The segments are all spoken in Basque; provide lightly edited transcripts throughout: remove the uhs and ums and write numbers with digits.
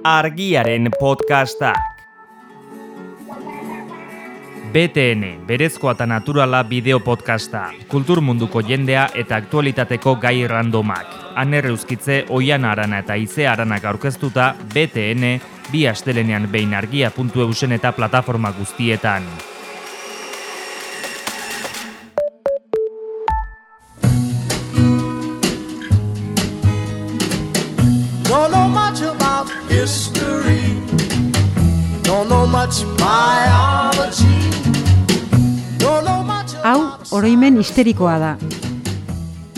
Argiaren podcastak. BTN, berezkoa eta naturala bideo podcasta, kultur munduko jendea eta aktualitateko gai randomak. Aner Euskitze, Oiana Arana eta Ize Aranak aurkeztuta, BTN, bi astelenean behin argia.eusen eta plataforma guztietan. Don't know much about history. Don't know much biology. Don't know much. Hau, oroimen histerikoa da.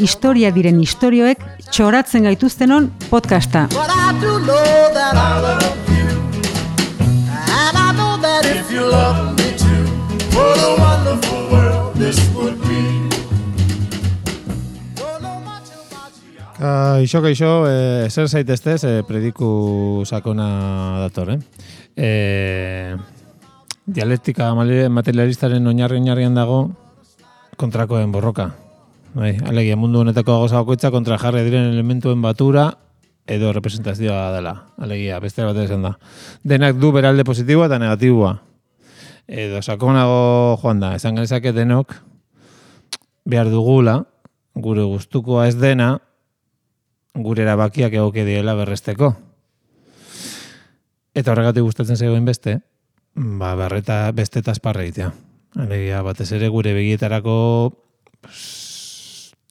Historia diren istorioek txoratzen gaituztenon podcasta. But I do know that I love you. And I know that if you love me too, what a wonderful world this would be. Don't know much about you. Kaixo, zer zaiteztez, prediku sakona dator, Dialektika materialistaren oinarrian dago kontrakoen borroka. Bai, alegia mundu honetako gauza bakoitza kontra jarri diren elementuen batura edo representazioa dela. Alegia, beste bat esan da. Denak du beralde positiboa eta negatiboa. Edo sakonago joan da, esan genezake denok behar dugula, gure gustukoa ez dena, gure erabakiak egoke diela berresteko. Eta horregatik gustatzen zegoen beste, berreta beste eta esparra egitea. Alegia, batez ere gure begietarako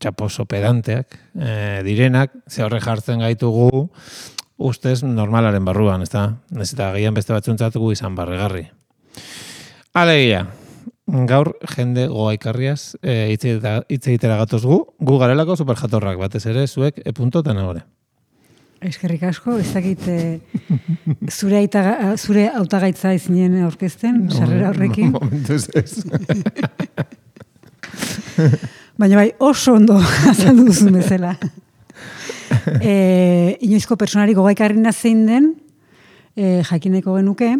txaposo pedanteak direnak, ze horre jartzen gaitugu ustez normalaren barruan, ezta? Ez eta agian beste batzuntzatugu izan barregarri. Alegia, gaur jende goaikarriaz hitz egitera gatoz gu garelako superjatorrak, batez ere zuek puntotan agore. Eskerrik asko, ez dakit zure hautagaitza izinen aurkezten, sarrera horrekin. Momentuz ez. Baina bai, oso ondo azaldu duzun bezala. Inoizko personari gogaikarrina zein den, jakineko genuke.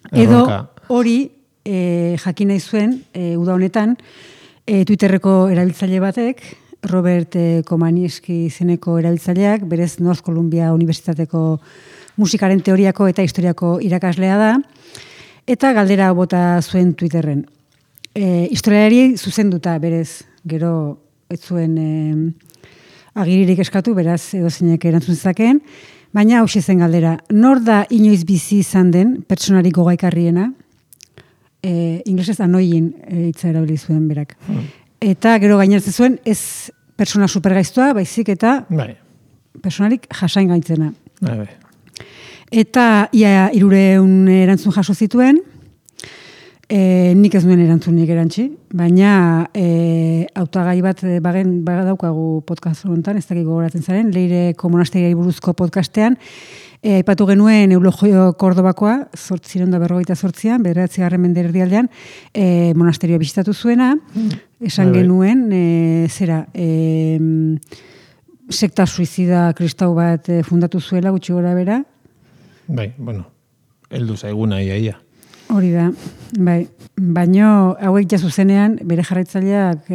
Edo hori jakin nahi zuen, uda honetan, Twitterreko erabiltzaile batek, Robert Komanieski izeneko erabiltzaileak, berez North Columbia Unibertsitateko musikaren teoriako eta historiako irakaslea da, eta galdera bota zuen Twitterren. Historiari zuzenduta, berez, gero ez zuen agiririk eskatu, beraz edozeinek erantzun zezakeen, baina hauxe zen galdera. Nor da inoiz bizi izan den pertsonarik gogaikarriena? Inglesez anoien hitza erabili zuen berak. Eta gero gaineratzen zuen ez persona supergaiztoa, baizik eta personarik jasain gaitzena. Eta ia 300 erantzun jaso zituen, nik ez nuen erantzunik erantzi, baina hautagai bat badaukagu podcast honetan, ez dakik gogoratzen zaren, Leireko monasteriari buruzko podcastean, aipatu genuen Eulogio Kordobakoa, 1858an, 9. mende erdialdean, monasterioa bisitatu zuena, esan genuen, sekta suizida kristau bat fundatu zuela, gutxi gora bera. Heldu zaiguna ia. Hori da, bai. Baino hauek ja zuzenean bere jarraitzaileak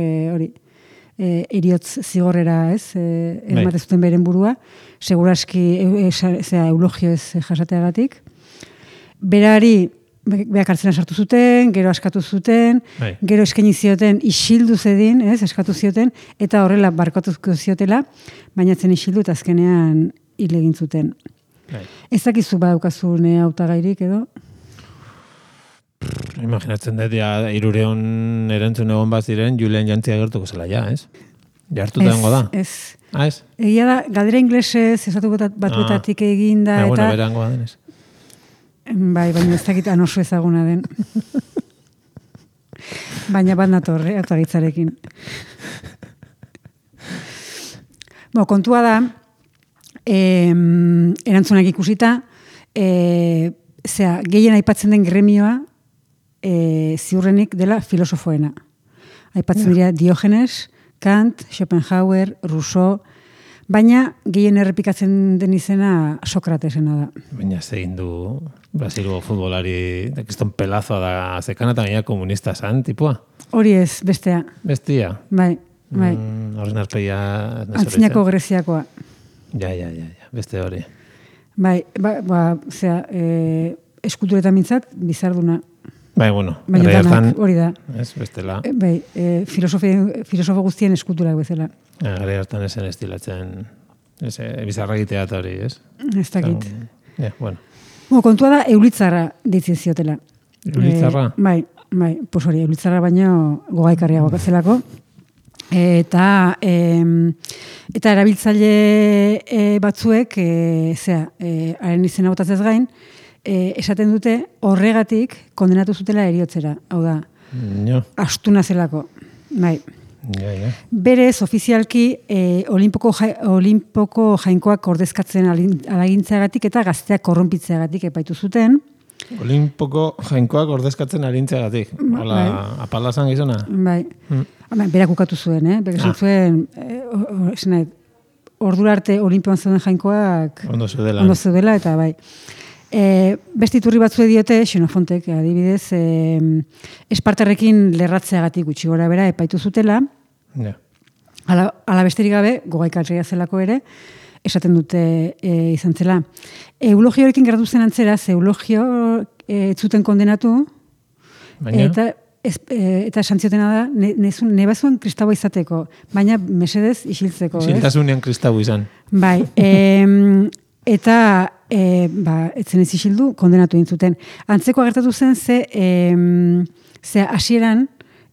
eriotz zigorrera, ematez zuten beren burua, seguraski eulogio ez jasateagatik. Berari beak hartzena sartu zuten, gero askatu zuten, gero eskaini zioten isildu zedin, eskatu zioten, eta horrela barkatuko ziotela, baina zen isildu eta azkenean hil egin zuten. Ez dakizu badaukazun hautagairik edo? Imaginatzen dut, 300 erantzun egon bat ziren, Julian Jantzia gertuko zela ez? Jartuta dengo da? Ez. Ez? Egia da, galdera inglesez, esatu batuetatik eginda, eta... Bueno, berango da denez. Bai, baina ez dakit oso ezaguna den. Baina bat nator, hautagaitzarekin. Kontua da, erantzunak ikusita, gehien aipatzen den gremioa, ziurrenik dela filosofoena. Aipatzen dira Diogenes, Kant, Schopenhauer, Rousseau, baina gehien errepikatzen den izena Sokratesena da. Baina zein du Brasilgo futbolari, kiston pelazoa da zekana eta gaina komunista zan, tipua? Hori ez, bestea. Bestia? Bai. Horren arpeia... Antzinako Greziakoa. Ja, beste hori. Bai, eskulturetan mintzat, bizarduna. Bai, bueno, hori da. Ez, bestela. Bai, filosofo guztien eskulturak bezala. Gare hartan esen estilatzen, bizarra egitea eta hori, ez? Ez dakit. Bueno. Kontua da, eulitzarra ditzen ziotela. Eulitzarra? Bai, pues hori, eulitzarra baino gogaikarriago zelako. Eta erabiltzaile batzuek, haren izena botatzez gain, esaten dute horregatik kondenatu zutela heriotzera. Hau da, astuna zelako. Bai. Berez, ofizialki, Olimpoko jainkoak ordezkatzen alagintzeagatik eta gazteak korrompitzeagatik epaitu zuten. Olimpoko jainkoak ordezkatzen alagintzeagatik. Hola, apalazan gizona? Bai. Berak ukatu zuen, Berak zuen, ordura arte Olimpioan zeuden jainkoak ondo zeudela, eta bai. Beste iturri batzue diote, Xenofontek, adibidez, Espartarrekin lerratzeagatik gutxi gora bera epaitu zutela. Ala besterik gabe, gogaikarria zelako ere, esaten dute izan zela. Eulogiorekin geratu zen antzera, eulogio ez zuten kondenatu, eta esan ziotena da, nebazuen kristaua izateko, baina mesedez isiltzeko. Isiltasunean kristaua izan. Bai, eta etzen ez isildu, kondenatu dintzuten. Antzeko agertatu zen, ze hasieran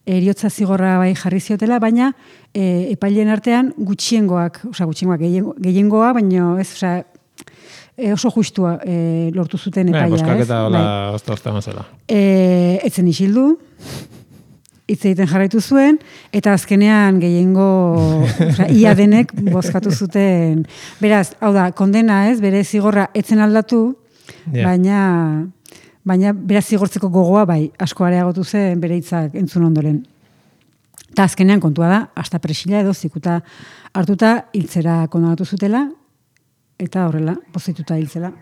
eriotza zigorra bai jarri ziotela, baina epaileen artean gutxiengoak, gehiengoa, baina ez, oso justua lortu zuten epaia. Boskaketa hola ozta mazela. Etzen isildu, hitz egiten jarraitu zuen, eta azkenean gehiengo, ia denek bozkatu zuten. Beraz, hau da, kondena ez, bere zigorra etzen aldatu, baina beraz zigortzeko gogoa, bai, asko areagotu zen bere hitzak entzun ondoren. Eta azkenean kontua da, hasta presila edo zikuta hartuta hiltzera kondenatu zutela, eta horrela, pozituta hiltzela.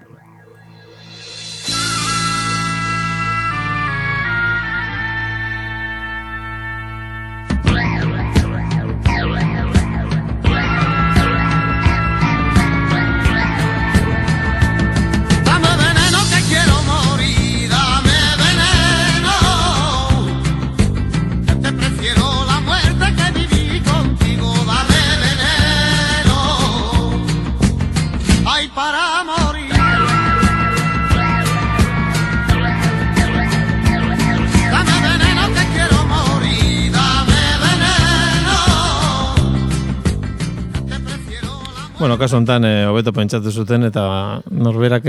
Bueno, kasu honetan hobeto pentsatu zuten eta norberak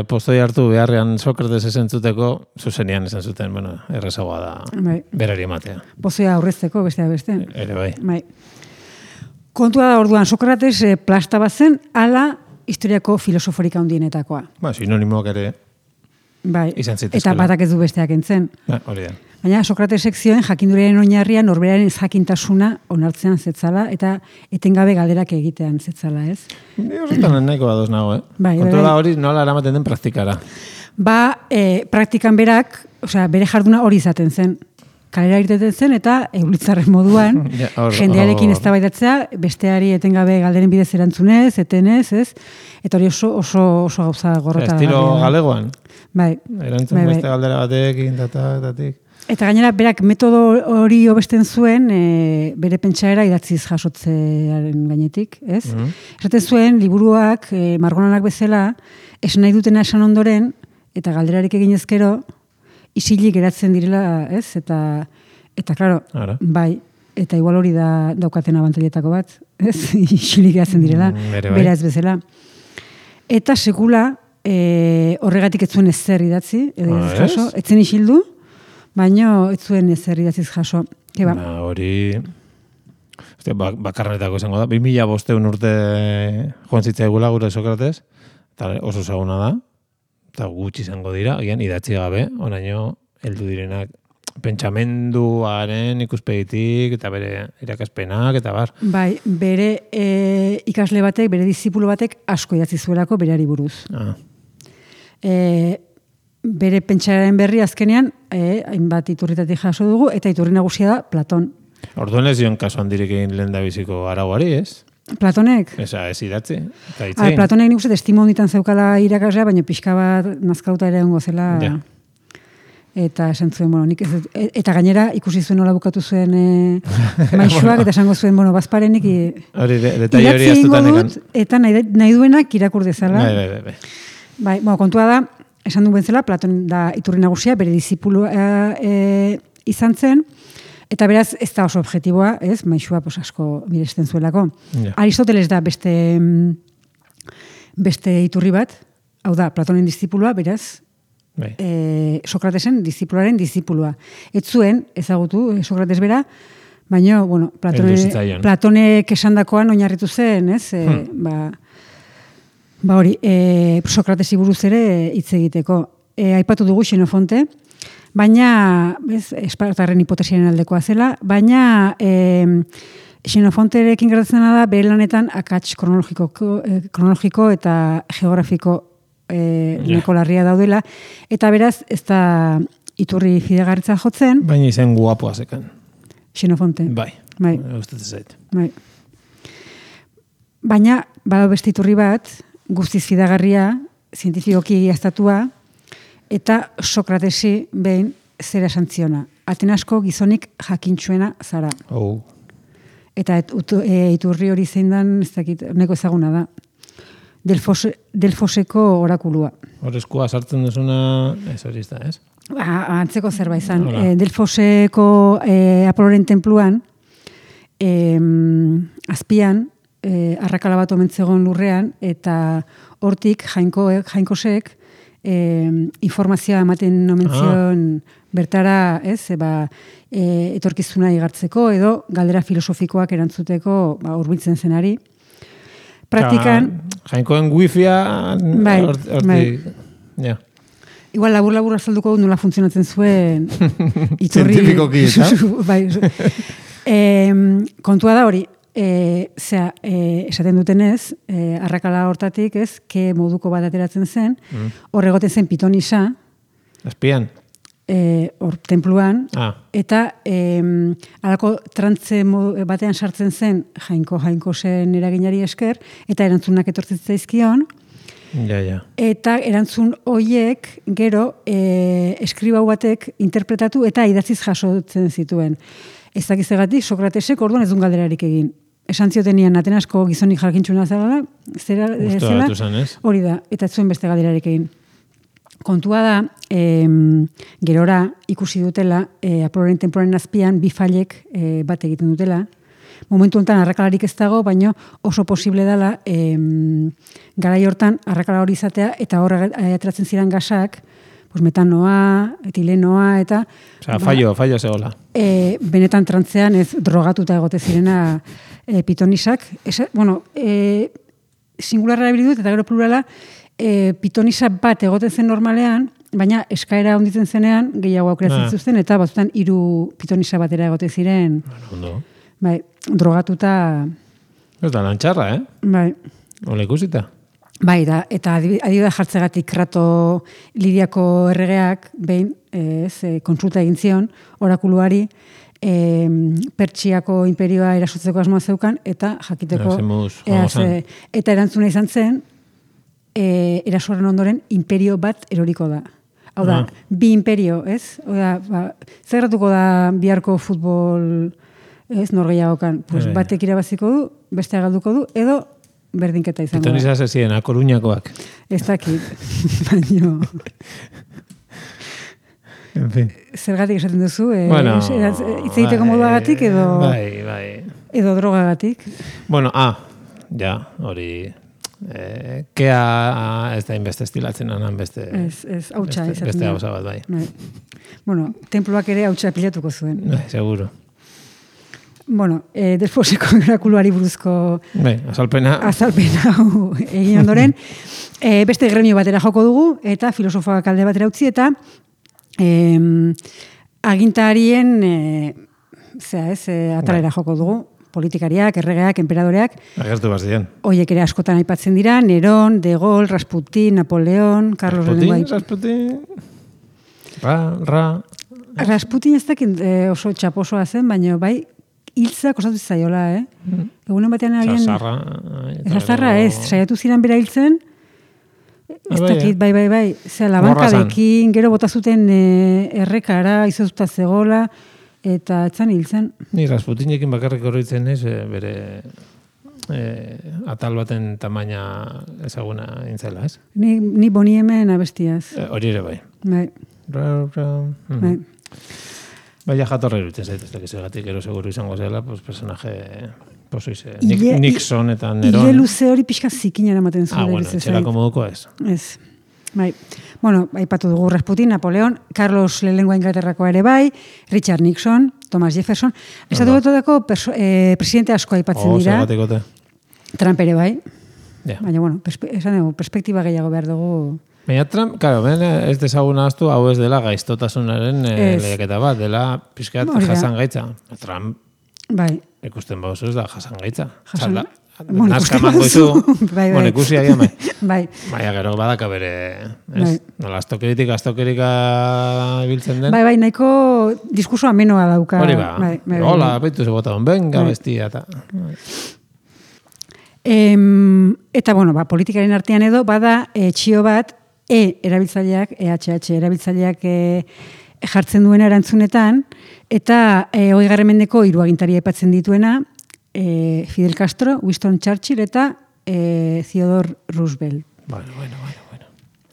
postoi hartu beharrean Sokrates esentzuteko zuzenian esan zuten, bueno, errezagoa da berari ematea. Pozoia aurrezteko besteak beste. Ere bai. Kontua da orduan Sokrates plasta bazen ala historiako filosoforik handienetakoa. Sinonimoak ere izan zitezkela. Eta batak ez du besteak entzen. Hori da. Baina Sokratesek zioen jakinduriaren oinarria norberaren jakintasuna onartzean zetzala eta etengabe galderak egitean zetzala, ez? Horretan nahiko ados nago, Kontrola hori nola eramaten den praktikara. Praktikan berak, bere jarduna hori izaten zen. Kalera irteten zen eta eulitzarren moduan, jendearekin eztabaidatzea, besteari etengabe galderen bidez erantzunez, etenez, ez? Eta hori oso gauza gorrota. Estilo galegoan? Bai. Erantzun beste galdera batekin, tatik. Eta gainera, berak metodo hori hobesten zuen, bere pentsaera idatziz jasotzearen gainetik, ez? Esaten zuen, liburuak, margonanak bezala, esan nahi dutena esan ondoren, eta galderarik egin ezkero, isilik geratzen direla, ez? Eta claro, bai, eta igual hori daukaten abantailetako bat, ez? Isilik geratzen direla, bera ez bezala. Eta sekula, horregatik ez zuen ezer idatzi, edo ez jaso, etzen isildu, baino ez zuen ezer idatziz jaso. Hori bakarrenetako izango da. 2005 urte joan zitzaigula gure Sokrates, eta oso ezaguna da, eta gutxi izango dira, agian idatzi gabe, onaino heldu direnak pentsamenduaren ikuspegitik, eta bere irakaspenak, eta bar. Bai, bere ikasle batek, bere dizipulo batek asko idatzi zuelako bereari buruz. Bere pentsaren berri azkenean, hainbat iturritatik jaso dugu, eta iturri nagusia da Platon. Orduan ez zion kasu handirik egin lehen da biziko arauari, ez? Platonek? Esa, ez idatzi. Eta Platonek nik uste testimonditan zeukala irakaslea, baina pixka bat nazkauta ere ongo zela. Ja. Eta esan zuen, nik ez, eta gainera ikusi zuen nola bukatu zuen maixuak, eta esango zuen, bazparenik detalle hori astutan ekan. Eta nahi duenak irakur dezala. Bai. Kontua da, esan duen zela, Platon da iturri nagusia, bere disipulua izan zen, eta beraz ez da oso objektiboa, ez, maixua asko miresten zuelako. Ja. Aristoteles da beste iturri bat, hau da, Platonen disipulua, beraz, Sokratesen disipularen disipulua. Ez zuen, ezagutu, Sokrates bera, baina, Platonek esandakoan oinarritu zen, ez? Hori, Sokratesi buruz ere hitz egiteko. Aipatu dugu Xenofonte, baina, Espartarren hipotesiaren aldekoa zela, baina Xenofonterekin gertatzen da bere lanetan akats kronologiko eta geografiko neko larria daudela, eta beraz ez da iturri fidegarritza jotzen. Baina izen guapoa zekan. Xenofonte. Bai. Gustatzen zait. Bai. Baina, bada beste iturri bat, guztiz fidagarria, zientifikoki egiaztatua, eta Sokratesi behin zera santziona. Atenasko gizonik jakintsuena zara. Eta iturri hori zein dan, ez dakit, neko ezaguna da. Delfoseko orakulua. Horrezkoa sartzen duzuna, ez hori izta, ez? Antzeko zerbait izan. Delfoseko Apoloren tenpluan, azpian, arrakala bat omen zegoen lurrean, eta hortik jainkosek informazioa ematen omen zion bertara, ez, etorkizuna igartzeko, edo galdera filosofikoak erantzuteko hurbiltzen zenari. Praktikan... Jainkoen wifia... Bai. Igual labur azalduko nola funtzionatzen zuen iturri... Zientifikoki, eta? Bai. Kontua da hori, esaten dutenez, arrakala hortatik, ez, ke moduko bat ateratzen zen, horregoten zen pitonisa... Azpian? Hor, tenpluan, eta alako trantze batean sartzen zen jainkosen eraginari esker, eta erantzunak etortzen zaizkion, eta erantzun hoiek gero eskribau batek interpretatu eta idatziz jasotzen zituen. Ez dakizagatik, Sokratesek orduan ez duen galderarik egin. Esan ziotenian Atenasko gizonik jakintsuena zela, hori da, eta ez zuen beste galderarik egin. Kontua da, gerora ikusi dutela, Apoloren tenpluaren azpian, bi failek bat egiten dutela. Momentu honetan arrakalarik ez dago, baina oso posible dela garai hortan arrakala hori izatea, eta hor ateratzen ziren gasak, metanoa, etilenoa, eta... fallo zegoela. Benetan trantzean ez drogatuta egote zirena pitonisak. Singularra ebilidut, eta gero plurala, pitonisa bat egoten zen normalean, baina eskaera onditzen zenean gehiago aukeratzen zuzten, eta batzutan 3 pitonisa batera egote ziren. Bai, drogatuta... Ez da lantxarra, Bai. Ola ikusita. Bai, eta adibidea jartzegatik Krato Lidiako erregeak behin kontsulta egin zion orakuluari Pertsiako imperioa erasotzeko asmoa zeukan, eta jakiteko eta erantzuna izan zen erasoaren ondoren imperio bat eroriko da. Hau da, bi imperio, ez? Zer gertatuko da biharko futbol norgehiagokan? Batek irabaziko du, beste galduko du, edo berdinketa izango da. Pitonisa zezien, Koruñakoak. Ez dakit, baino... En fin. Zergatik esaten duzu, hitz egiteko moduagatik edo... Bai. Edo drogagatik. Bueno, hori... Kea ez da inbeste estilatzen anan beste... Ez, hautsa izaten da. Beste hausa bat, bai. Bueno, tenpluak ere hautsa pilatuko zuen. Seguro. Bueno, Delfoseko orakuluari buruzko... Azalpena hau egin ondoren. Beste gremio batera joko dugu, eta filosofoak alde batera utzi, eta agintarien atalera joko dugu. Politikariak, erregeak, enperadoreak. Agertu bazien. Hoiek ere askotan aipatzen dira, Neron, De Gaulle, Rasputin, Napoleon, Carlos Rasputin. Rasputin ez dakit oso txaposoa zen, baina bai, hiltza kostatu zaiola, Egunen batean agian... Zasarra. Saiatu ziren bera hiltzen, ez dakit, bai. Zera, labankadekin, gero bota zuten errekara, izozuta zegola, eta etzan hiltzen. Ni Rasputinekin bakarrik horretzen ez, bere atal baten tamaina ezaguna intzela, ez? Ni boni hemen abestiaz. Hori ere bai. Bai. Baina jatorra iruditzen zait, ez dakiz egatik, gero seguru izango zela, pues, personaje, Nixon eta Neron. Ile luze hori pixka zikin eramaten zuen. Bueno, etxerako moduko ez. Ez. Bai. Bueno, aipatu dugu Rasputin, Napoleon, Carlos lehenengoa Inglaterrakoa ere bai, Richard Nixon, Thomas Jefferson. Estatu Batuetako presidente asko aipatzen dira. Zergatik. Trump ere bai. Yeah. Baina, bueno, perspektiba gehiago behar dugu. Baina Trump, claro, ez dezaguna aztu, hau ez dela gaiztotasunaren lehiaketa bat, dela pixkat jasan gaitza. Trump, bai. Ikusten bauzu ez da jasan gaitza. Nazka mango izu, ikusi agian bai. Bai. Baina gero badaka bere, ez? Nola, astokerika ibiltzen den. Bai, nahiko diskurso amenoa dauka. Hori ba, hola, baitu ze bota, venga, bestia, eta... Eta, bueno, politikaren artean edo, bada txio bat, erabiltzaileak, EHH erabiltzaileak jartzen duena erantzunetan, eta 20. mendeko 3 agintari aipatzen dituena, Fidel Castro, Winston Churchill eta Theodore Roosevelt. Bueno.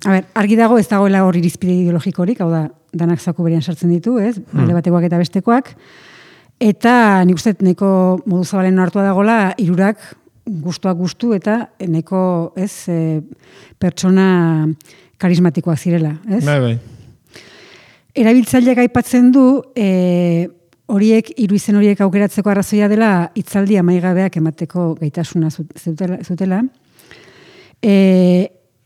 A ber, argi dago ez dagoela hor irizpide ideologikorik, hau da, danak zaku berean sartzen ditu, ez? Alde batekoak eta bestekoak. Eta nik uste neko modu zabalen hartua dagoela, 3 gustuak gustu eta neko, ez, pertsona karismatikoak zirela, ez? Bai. Erabiltzaileak aipatzen du, horiek, 3 izen horiek aukeratzeko arrazoia dela hitzaldi amaigabeak emateko gaitasuna zutela.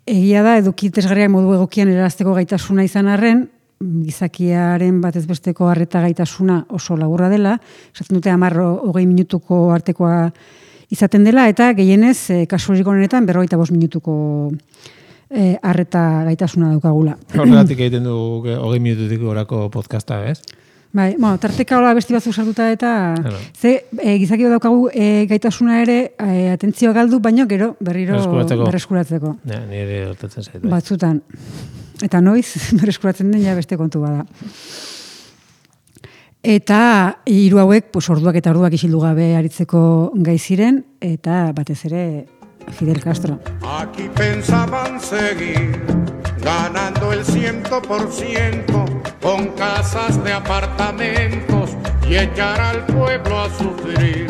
Egia da, edukitesgarriak modu egokian erarazteko gaitasuna izan arren, gizakiaren batez besteko harreta gaitasuna oso laburra dela, esaten dute 10-20 minutuko artekoa izaten dela, eta gehienez, kasu honetan 45 minutuko harreta gaitasuna daukagula. Horregatik egiten du 20 minututik orako podcasta, ez? Bai, tarteka hola besti batzuk sartuta eta gizakio daukagu gaitasuna ere atentzioa galdu, baino gero berriro berreskuratzeko. Ja, nire hortatzen zaitu. Batzutan. Eta noiz berreskuratzen den ja beste kontu bada. Eta 3 hauek, orduak eta orduak isildu gabe aritzeko gai ziren, eta batez ere Fidel Castro. Aquí pensaban seguir ganando el 100% con casas de apartamentos y echar al pueblo a sufrir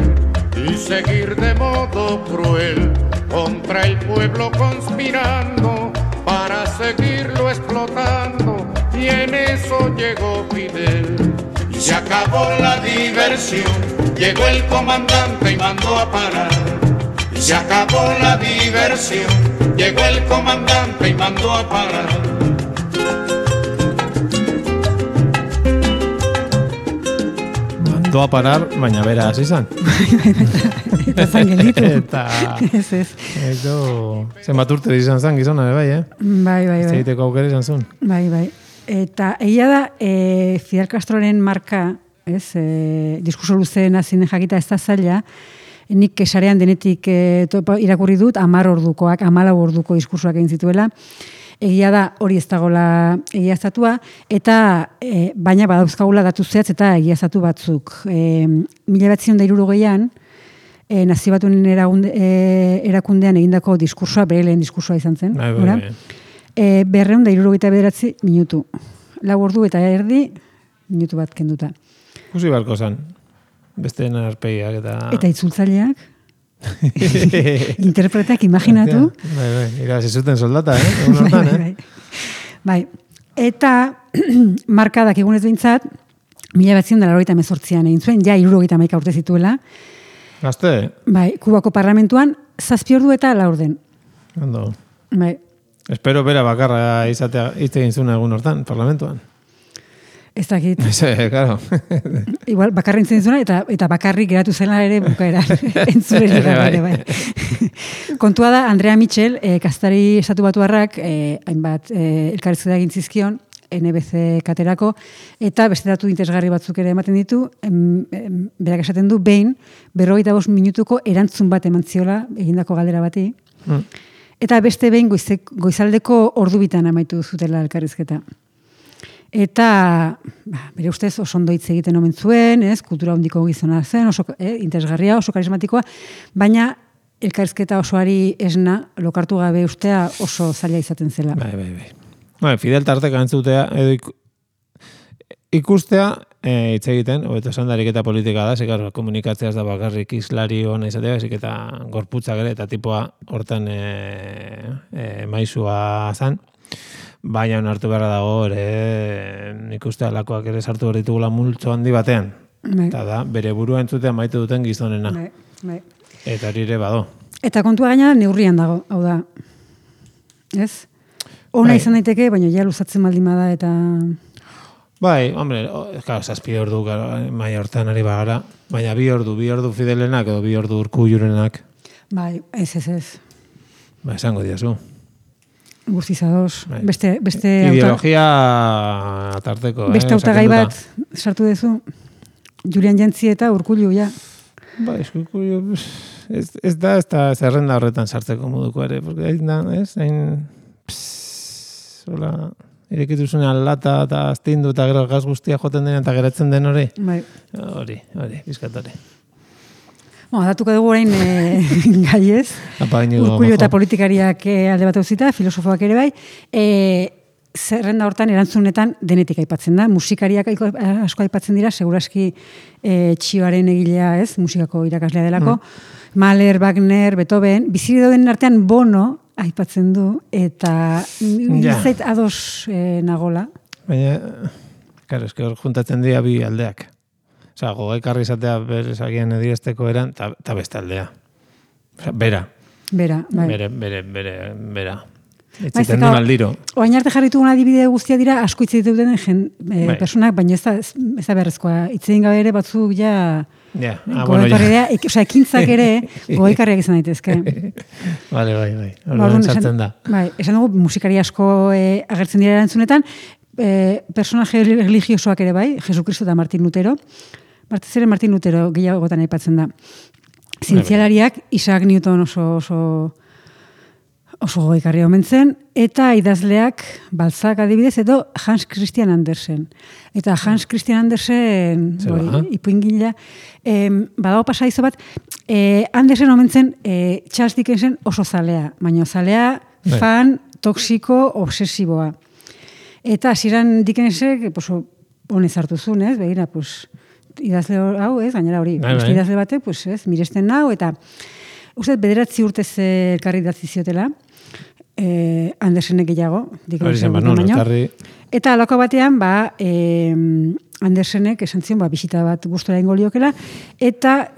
y seguir de modo cruel contra el pueblo conspirando para seguirlo explotando, y en eso llegó Fidel. Y se acabó la diversión, llegó el comandante y mandó a parar. Y se acabó la diversión, llegó el comandante y mandó a parar. Mandó a parar, baina bera hasi izan. Eta zangelitu. Ez. Zenbat urte izan zan gizona, bai, Bai. Zeiteko aukera izan zuen. Bai. Eta egia da, Fidel Castroren marka, diskurso luzeen azinen jakita ez da zaila, nik sarean denetik irakurri dut, 10 ordukoak, 14 orduko diskursoak egin zituela. Egia da hori ez dagoela egiaztatua, eta baina badauzkagula datu zehatz eta egiaztatu batzuk. 1960an, Nazio Batuen erakundean egindako diskursoa, bere lehen diskursoa izan zen. 269 minutu. 4 ordu eta erdi, minutu bat kenduta. Kusi barko zen, besteen arpeiak eta... Eta itzultzaileak, interpretak, imaginatu. Bai, irabazi zuten soldata, Bai. Eta markadak egunez behintzat, 1988an egin zuen, ja 71 urte zituela. Gazte? Bai, Kubako parlamentuan, 7 ordu eta 4 den. Ondo. Bai. Espero bera bakarra izatea hitz egin zuen egun hortan, parlamentuan. Ez dakit. Claro. Igual, bakarri entzun zuna, eta bakarrik geratu zela ere bukaera. Entzurerik ere, bai. Kontua da, Andrea Mitchell, kaztari estatu batuarrak, hainbat elkarrizketa egin zizkion, NBC katerako, eta beste datu interesgarri batzuk ere ematen ditu, berak esaten du, behin, 45 minutuko erantzun bat eman ziola, egindako galdera bati, eta beste behin goizaldeko ordubitan amaitu zutela elkarrizketa. Eta, bere ustez, oso ondo hitz egiten omen zuen, kultura hondiko gizona zen, oso interesgarria, oso karismatikoa, baina elkarrizketa osoari esna, lokartu gabe ustea oso zaila izaten zela. Bai, Fidel tarteka entzutea, edo ikustea, hitz egiten, hobeto esan dariketa politika da, zekar, komunikatzeaz da bakarrik islari hona izatea, ezik eta gorputzak ere, eta tipoa hortan maizua zan, baina onartu beharra dago, nik uste alakoak ere sartu berritugula multzo handi batean. Eta da, bere burua entzutea maite duten gizonena. Eta hori ere bado. Eta kontua gaina neurrian dago, hau da. Ez? Ona izan daiteke, baina ja luzatzen baldin bada eta... Bai, hombre, zazpi ordu maia hortan ari bagara, baina bi ordu Fidelenak edo 2 ordu Urkullurenak. Bai, ez. Ba, esango diazu. Guztizadoz. Beste ideologia tarteko. Beste hautagai bat sartu duzu. Julian Jentzi eta Urkullu, ja. Ba, Urkullu, ez da zerrenda horretan sartzeko moduko ere, porque hain hola, irekituzunean lata eta aztindu eta gero gaz guztia joten denean eta geratzen den hori. Bai. Hori, bizkat hori. Datuko dugu orain gai ez. Urkullu eta politikariak alde bat uzita, filosofoak ere bai. Zerrenda hortan erantzunetan denetik aipatzen da. Musikariak asko aipatzen dira, seguraski Txioaren egilea ez, musikako irakaslea delako. Mahler, Wagner, Beethoven, bizi dauden artean Bono aipatzen du, eta zait ados nagola. Baina, karo, hor juntatzen dira bi aldeak. Osa, gogaikarri izatea berezagian edirezteko eran, eta beste aldea. Osa, bera. Bera, bai. Bera. Etziten duen aldiro. Oain arte jarritugun adibide guztia dira, asko hitz egiten duten personak, baina ez da beharrezkoa. Hitz egin gabe ere batzuk ja... ekintzak ere gogaikarriak izan daitezke. Bai. Horren sartzen da. Bai, esan dugu, musikari asko agertzen dira erantzunetan, personaje religiosoak ere bai, Jesucristo eta Martin Lutero. Martin Lutero gehiagotan aipatzen da. Zientzialariak, Isaac Newton oso gogaikarria omen zen, eta idazleak Balzac adibidez, edo Hans Christian Andersen. Eta Hans Christian Andersen, ipuingila, badago pasaizo bat, Andersen omen zen Charles Dickensen oso zalea, baina zalea fan toksiko obsesiboa. Eta hasieran Dickensek honez hartu zuen, ez? Begira, idazle hau, ez? Gainera hori, idazle batek, miresten nau, eta uste 9 urtez elkarri idatzi ziotela, Andersenek gehiago, Dickensen baino. Eta alako batean, Andersenek esan zion, bisita bat gustora ingo liokela, eta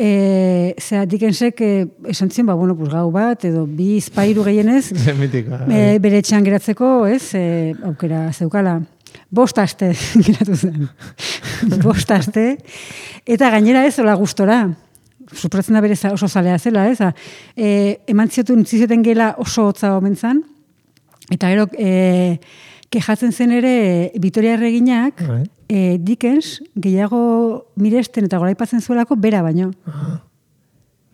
Dickensek esan zion, gau bat, edo 2 gehienez, bere etxean geratzeko, aukera zeukala. 5 aste geratu zen. 5 aste, eta gainera ez, hola gustora. Supratzen da bere oso zalea zela, ez? Eman zioten gela oso hotza omen zan, eta gero kejatzen zen ere Vitoria Erreginak Dickens gehiago miresten eta goraipatzen zuelako bera baino.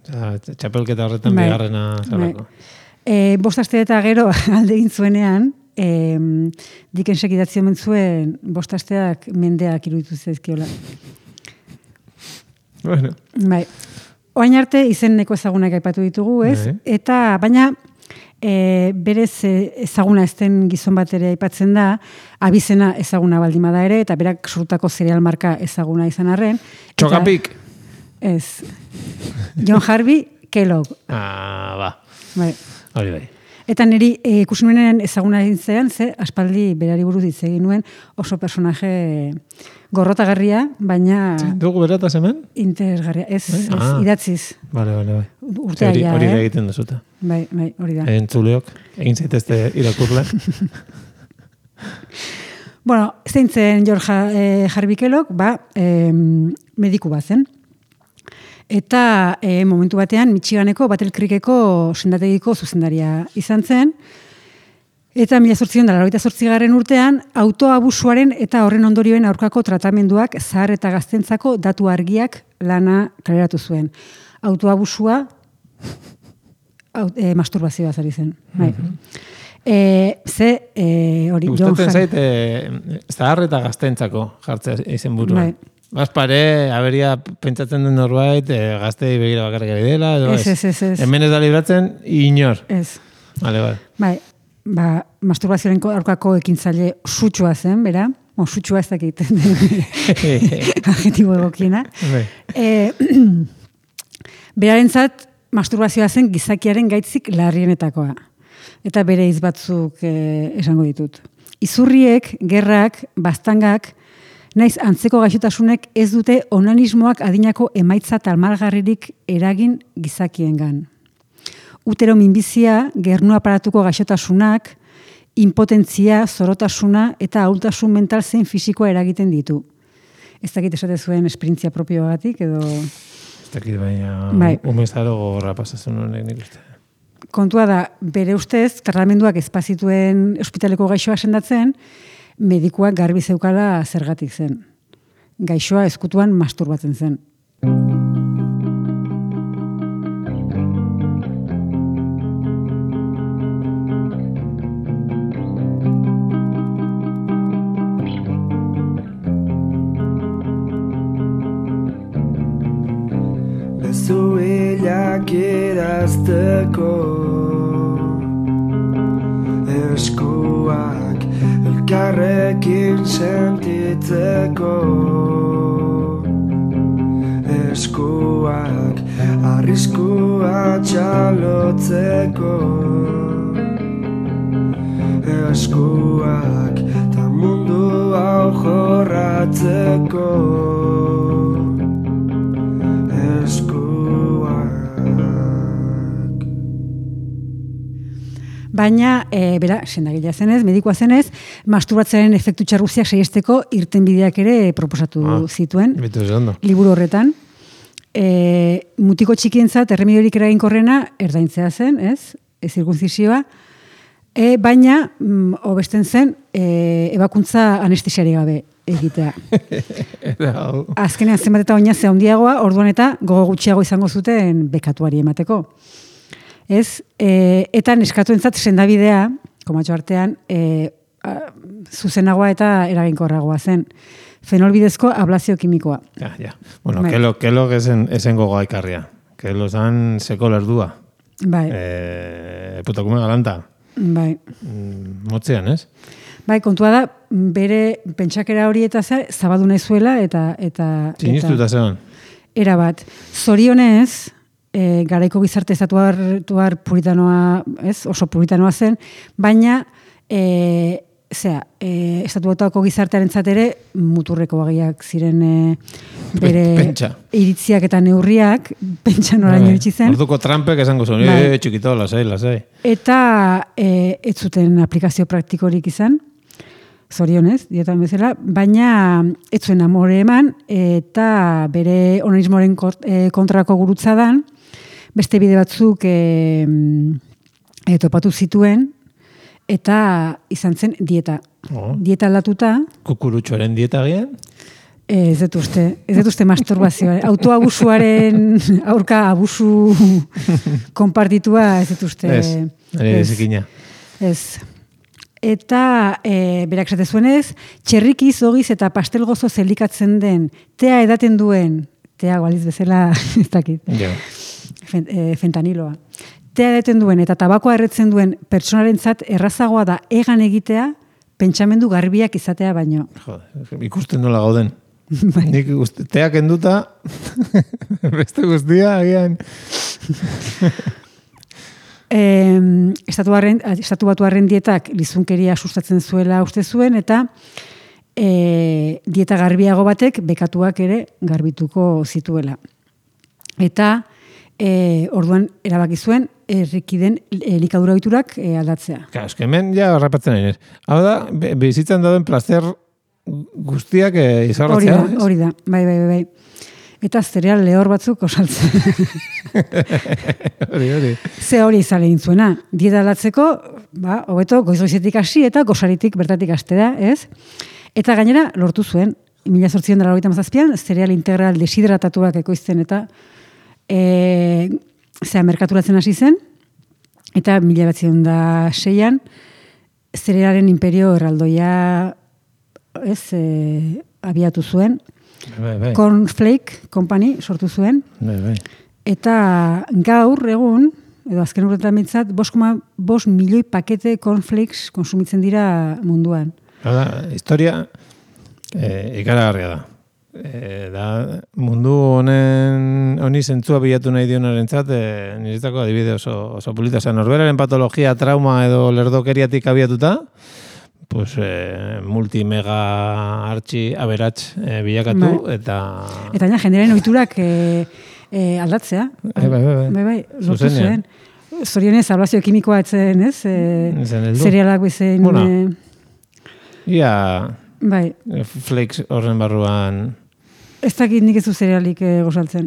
Txapelketa horretan bigarrena zelako. 5 aste eta gero alde egin zuenean, Dickensek idatzi omen zuen 5 asteak mendeak iruditu zaizkiola. Bueno. Bai. Oain arte izeneko ezagunak aipatu ditugu, ez? Eta, baina, berez ezaguna ezten gizon bat ere aipatzen da, abizena ezaguna baldimada ere, eta berak sortutako zereal marka ezaguna izan arren. Txokapik! Ez. John Harvey Kellogg. Bai. Hori bai. Eta niri ikusi nuenen ezaguna egin ze aspaldi berari buruz hitz egin nuen oso personaje gorrotagarria, baina... Dugu berataz hemen? Interesgarria, ez idatziz. Bai. Urtea ja, hori da egiten duzuta. Bai, hori da. Entzuleok, egin zaitezte irakurle. Bueno, zeintzen George Harvey Kellogg, mediku bat zen. Eta momentu batean Michiganeko Battle Creekeko sendategiko zuzendaria izan zen. Eta 1888 urtean, autoabusuaren eta horren ondorioen aurkako tratamenduak zahar eta gaztentzako datu argiak lana kaleratu zuen. Autoabusua masturbazioa zari zen. Bai. Hori, gustatzen zait, zahar eta gaztentzako jartzea izen buruan. Bai. Bazpare, aberia pentsatzen den norbait, gaztei begira bakarrik ari dela, edo ez. Hemen ez da libratzen, inor. Ez. Vale. Bai, masturbazioaren aurkako ekintzaile sutsua zen, bera? Sutsua ez dakit. Adjetibo egokiena. Berarentzat, masturbazioa zen gizakiaren gaitzik larrienetakoa. Eta bere hitz batzuk esango ditut. Izurriek, gerrak, baztangak, naiz antzeko gaixotasunek ez dute onanismoak adinako emaitza talmalgarririk eragin gizakiengan. Utero minbizia, gernu aparatuko gaixotasunak, impotentzia, zorotasuna eta ahultasun mental zein fisikoa eragiten ditu. Ez dakit esate zuen esperientzia propioagatik edo... Ez dakit baina umezaro gogorra pasatzen honek nik uste. Kontua da, bere ustez, tratamenduak espazituen ospitaleko gaixoa sendatzen, medikuak garbi zeukala zergatik zen. Gaixoa ezkutuan masturbatzen zen. Bezuilak idazteko eskuak elkarrekin sentitzeko eskuak arriskua txalotzeko eskuak ta mundu hau jorratzeko Baina, bera, sendagilea zenez, medikoa zenez, masturbatzearen efektu txarruziak saiesteko irtenbideak ere proposatu zituen. Liburu horretan. Mutiko txikientzat, erremediorik eraginkorrena erdaintzea zen, ez? Zirkunzizioa. Baina, hobesten zen, ebakuntza anestesiari gabe egitea. Azkenean zenbat eta oinazea handiagoa, orduan eta gogo gutxiago izango zuten bekatuari emateko. Ez, eta neskatuentzat sendabidea, komatxo artean, zuzenagoa eta eraginkorragoa zen. Fenolbidezko ablazio kimikoa. Ja. Bueno, kelo esen gogoa ikarria. Kelo zan seko lerdua. Bai. Putakume galanta. Bai. Motzean, ez? Bai, kontua da, bere pentsakera hori eta zabadu nahi zuela eta... Sinistuta zean. Era bat. Zorionez... garaiko gizarte estatuar puritanoa, ez, oso puritanoa zen, baina estatuatako gizartearen ere muturreko bagiak ziren bere iritziak eta neurriak, pentsa noraino iritsi zen. Orduko Trumpek esango zuen, txikito, lasai. Eta ez zuten aplikazio praktikorik izan, zorionez, dietan bezala, baina ez zuen amore eman, eta bere onanismoaren kontrako gurutzadan, beste bide batzuk topatu zituen, eta izan zen dieta. Dieta aldatuta. Kukurutxoaren dieta gian? Ez dut uste masturbazioa. Autoabusuaren aurka abusu konpartitua ez dut uste. Ez. Eta berak esate zuenez, txerrikiz, ogiz eta pastelgozo zelikatzen den, tea edaten duen, tea gualiz bezala, ez dakit, fentaniloa. Tea edaten duen eta tabakoa erretzen duen pertsonarentzat errazagoa da egan egitea, pentsamendu garbiak izatea baino. Ikusten nola gauden. Nik teak enduta, beste guztia, agian... Estatu batuarren dietak lizunkeria sustatzen zuela uste zuen, eta dieta garbiago batek bekatuak ere garbituko zituela. Eta orduan erabaki zuen errikiden elikadura ohiturak aldatzea. Eske hemen ja harrapatzen nahi. Hau da, bizitzan dauden plazer guztiak izarratzea. Hori da, bai. eta zereal lehor batzuk osaltzen. Hori. Ze hori izan egin zuena. Dieta aldatzeko, hobeto goiz-goizetik hasi eta gosaritik bertatik hastea, ez? Eta gainera lortu zuen, 1897an, zereal integral deshidratatuak ekoizten eta merkaturatzen hasi zen, eta 1906an zerealaren imperio erraldoia abiatu zuen. Bai. Cornflake Company sortu zuen. Bai. Eta gaur egun, edo azken urtetan bintzat, 5,5 milioi pakete cornflakes konsumitzen dira munduan. Historia ikaragarria da. Da mundu honi zentzua bilatu nahi dionarentzat, niretzako adibide oso polita. Norberaren patologia, trauma edo lerdokeriatik abiatuta, pues multimega artxi aberats bilakatu, eta jendearen ohiturak aldatzea. Bai, lortu zuen. Zorionez, ablazio kimikoa etzen, ez? Zerealak bezen... Ia... Bai. Flakes horren barruan... Ez dakit nik ez du zerealik gozaltzen.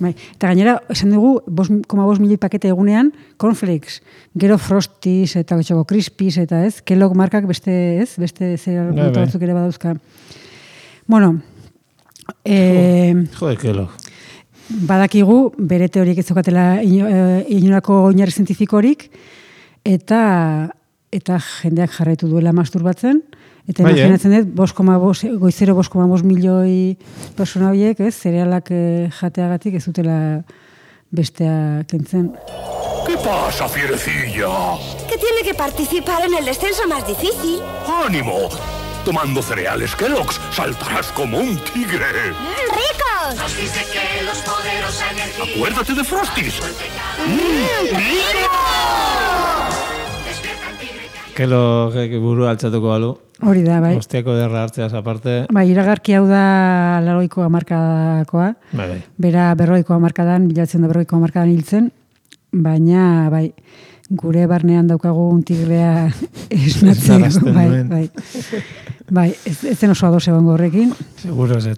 Bai. Eta gainera, esan dugu, 5,5 milioi pakete egunean, cornflakes, gero Frosties eta Choco Crispies eta ez, Kellogg markak beste zereal batzuk ere badauzka. Bueno, Jode, Kellogg. Badakigu, bere teoriek ez daukatela inolako oinarri zientifikorik, eta jendeak jarraitu duela masturbatzen, eta imaginatzen dut, goizero 5,5 milioi persona horiek, zerealak jateagatik ez dutela bestea kentzen. ¿Qué pasa, fierecilla? Que tiene que participar en el descenso más difícil. ¡Ánimo! Tomando cereales Kellogg's saltarás como un tigre. ¡Ricos! Frosties de Kellogg's, poderosa energía. Acuérdate de Frosties. ¡Rico! Kellogg buru altzatuko balu. Hori da, bai. Ostiako derra hartzeaz aparte. Bai, iragarki hau da 80ko hamarkadakoa. Bai. Bera 40ko hamarkadan, 1940ko hamarkadan hiltzen, baina, bai, gure barnean daukagu un tigrea esnatzen. Bai. Bai, ez zen oso ados egongo horrekin. Seguro ez.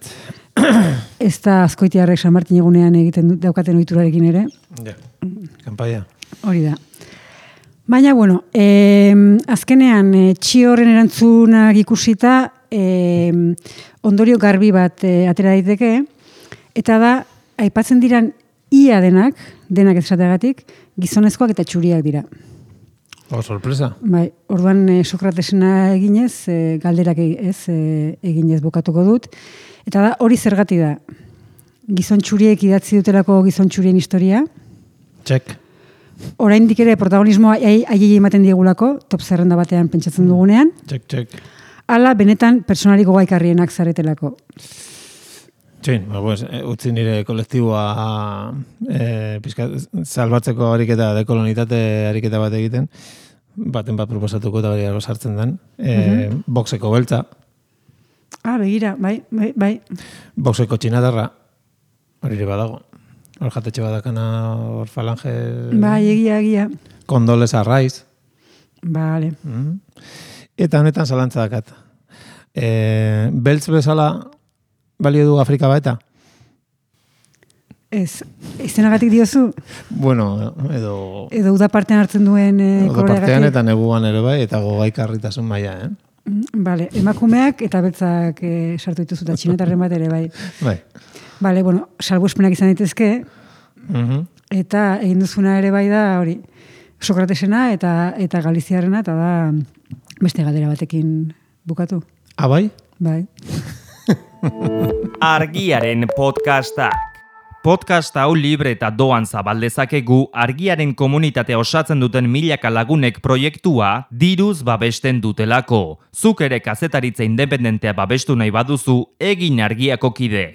Ez da azkoitiarrek San Martin egunean egiten daukaten ohiturarekin ere. Ja, kanpaia. Hori da. Baina, bueno, azkenean txio horren erantzunak ikusita ondorio garbi bat atera daiteke, eta da, aipatzen diran ia denak esateagatik, gizonezkoak eta txuriak dira. Sorpresa. Bai, orduan Sokratesena eginez, galderak eginez bukatuko dut, eta da, hori zergati da. Gizon txuriek idatzi dutelako gizon txurien historia. Txek. Oraindik ere protagonismoa aiei ematen diegulako, top zerrenda batean pentsatzen dugunean. Txek. Hala, benetan, personari gogaikarrienak zaretelako. Txin, utzi nire kolektiboa salbatzeko ariketa, dekolonitate ariketa bat egiten, baten bat proposatuko eta bari sartzen den. Boxeko beltza. Begira, bai. Boxeko txinatarra, hori ere badago. Hor jatetxe badakana, hor falange... Bai, egia. Kondoles arraiz. Vale. Eta honetan zalantza dakat. Beltz bezala balio du Afrika baeta? Ez, izenagatik diozu? Bueno, edo... Edo uda partean hartzen duen Uda partean eta neguan ere bai, eta gogaikarritasun maila, Vale, emakumeak eta beltzak sartu dituzu eta txinetarren bat ere bai. Bai. Vale, bueno, salbuespenak izan daitezke, eta egin duzuna ere bai da hori, Sokratesena eta Galiziarrena, eta da beste galdera batekin bukatu. Bai? Bai. Argiaren podcasta. Podcast hau libre eta doan zabaldezakegu Argiaren komunitatea osatzen duten milaka lagunek proiektua diruz babesten dutelako. Zuk ere kazetaritza independentea babestu nahi baduzu, egin Argiako kide.